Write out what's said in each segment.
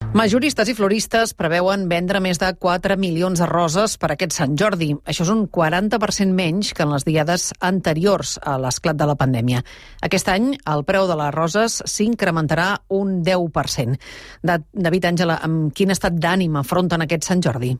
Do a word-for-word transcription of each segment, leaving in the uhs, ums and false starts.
Majoristes i floristes preveuen vendre més de quatre milions de roses per aquest Sant Jordi. Això és un quaranta per cent menys que en les diades anteriors a l'esclat de la pandèmia. Aquest any el preu de les roses s'incrementarà un deu per cent. David Àngela, amb quin estat d'ànim afronten aquest Sant Jordi?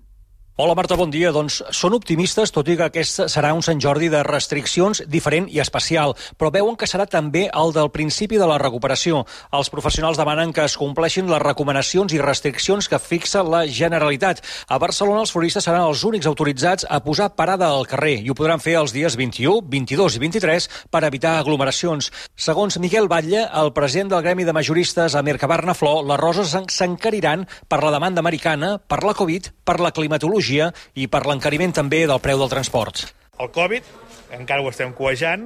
Hola Marta, bon dia. Doncs són optimistes, tot i que aquest serà un Sant Jordi de restriccions diferent i especial, però veuen que serà també el del principi de la recuperació. Els professionals demanen que es compleixin les recomanacions i restriccions que fixa la Generalitat. A Barcelona els floristes seran els únics autoritzats a posar parada al carrer i ho podran fer els dies vint-i-u, vint-i-dos i vint-i-tres per evitar aglomeracions. Segons Miquel Batlle, el president del Gremi de Majoristes a Mercabarna Flor, les roses s'encariran per la demanda americana, per la Covid, per la climatologia i per l'encariment també del preu del transport. El Covid, encara ho estem cuejant,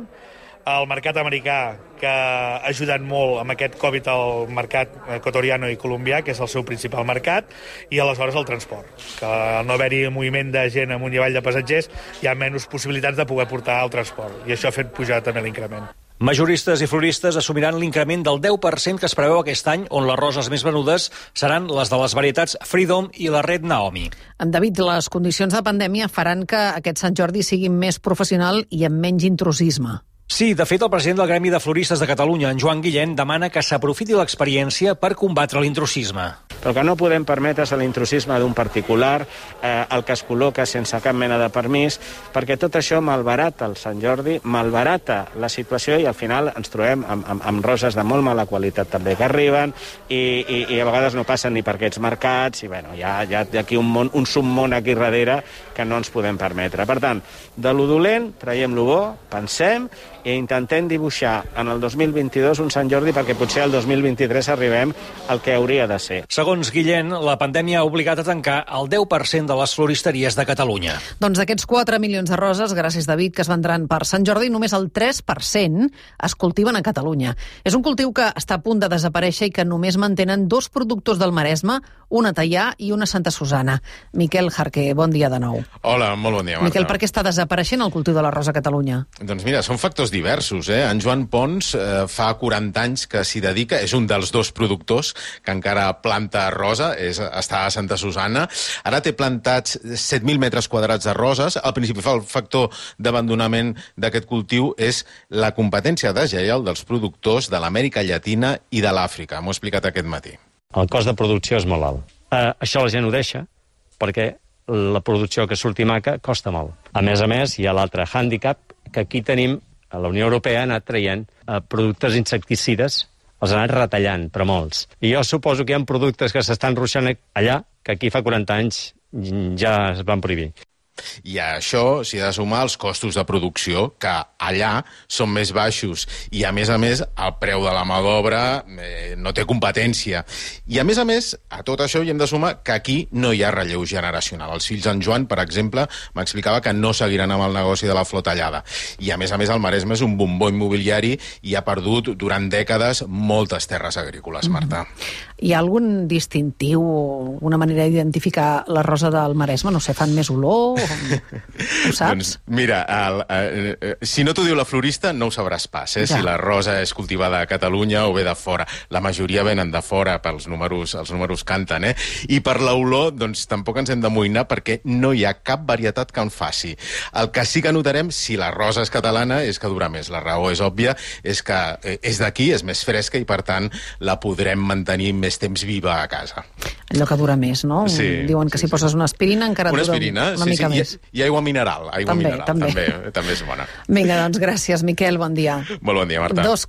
el mercat americà, que ha ajudat molt amb aquest Covid al mercat equatoriano i colombià, que és el seu principal mercat, i aleshores el transport, que al no haver-hi moviment de gent amunt i avall de passatgers, hi ha menys possibilitats de poder portar el transport, i això ha fet pujar també l'increment. Majoristes i floristes assumiran l'increment del deu per cent que es preveu aquest any, on les roses més venudes seran les de les varietats Freedom i la Red Naomi. En David, les condicions de pandèmia faran que aquest Sant Jordi sigui més professional i amb menys intrusisme. Sí, de fet, el president del Gremi de Floristes de Catalunya, en Joan Guillén, demana que s'aprofiti l'experiència per combatre l'intrusisme. Però que no podem permetre l'intrusisme d'un particular, eh, el que es col·loca sense cap mena de permís, perquè tot això malbarata el Sant Jordi, malbarata la situació i al final ens trobem amb, amb, amb roses de molt mala qualitat també que arriben i, i, i a vegades no passen ni per aquests mercats i bueno, hi ha, hi ha aquí un, món, un submón aquí darrere que no ens podem permetre. Per tant, de lo dolent traiem lo bo, pensem i intentem dibuixar en el dos mil vint-i-dos un Sant Jordi perquè potser el dos mil vint-i-tres arribem al que hauria de ser. Segons Guillén, la pandèmia ha obligat a tancar el deu per cent de les floristeries de Catalunya. Doncs d'aquests quatre milions de roses, gràcies David, que es vendran per Sant Jordi, només el tres per cent es cultiven a Catalunya. És un cultiu que està a punt de desaparèixer i que només mantenen dos productors del Maresme, una a Teià i una a Santa Susana. Miquel Jarqué, bon dia de nou. Hola, molt bon dia, Marta. Miquel, per què està desapareixent el cultiu de la rosa a Catalunya? Doncs mira, són factors diversos, eh? En Joan Pons eh, fa quaranta anys que s'hi dedica, és un dels dos productors que encara planta rosa, és, està a Santa Susana. Ara té plantats set mil metres quadrats de roses. El principal factor d'abandonament d'aquest cultiu és la competència deslleial dels productors de l'Amèrica Llatina i de l'Àfrica. M'ho he explicat aquest matí. El cost de producció és molt alt. Eh, això la gent ho deixa perquè la producció que surti maca costa molt. A més a més, hi ha l'altre hàndicap que aquí tenim, a la Unió Europea ha anat traient eh, productes insecticides, els ha anat retallant, però molts. I jo suposo que hi ha productes que s'estan ruixant allà, que aquí fa quaranta anys ja es van prohibir. I a això s'hi ha de sumar els costos de producció, que allà són més baixos. I, a més a més, el preu de la mà d'obra eh, no té competència. I, a més a més, a tot això hi hem de sumar que aquí no hi ha relleu generacional. Els fills d'en Joan, per exemple, m'explicava que no seguiran amb el negoci de la flor tallada. I, a més a més, el Maresme és un bombó immobiliari i ha perdut durant dècades moltes terres agrícoles, Marta. Hi ha algun distintiu, una manera d'identificar la rosa del Maresme? No sé, fan més olor? Ho saps? Doncs mira, el, el, el, si no t'ho diu la florista, no ho sabràs pas, eh? Ja. Si la rosa és cultivada a Catalunya o ve de fora. La majoria venen de fora, pels números, els números canten, eh? I per l'olor, doncs tampoc ens hem d'amoïnar perquè no hi ha cap varietat que en faci. El que sí que notarem, si la rosa és catalana, és que dura més. La raó és òbvia, és que és d'aquí, és més fresca i, per tant, la podrem mantenir més temps viva a casa. Allò que dura més, no? Sí, Diuen que sí, si poses sí. una aspirina encara una dura aspirina, una sí, mica sí. més. I, I aigua mineral. Aigua també, mineral també. També, també és bona. Vinga, doncs gràcies, Miquel, bon dia. Molt bon dia, Marta. Dos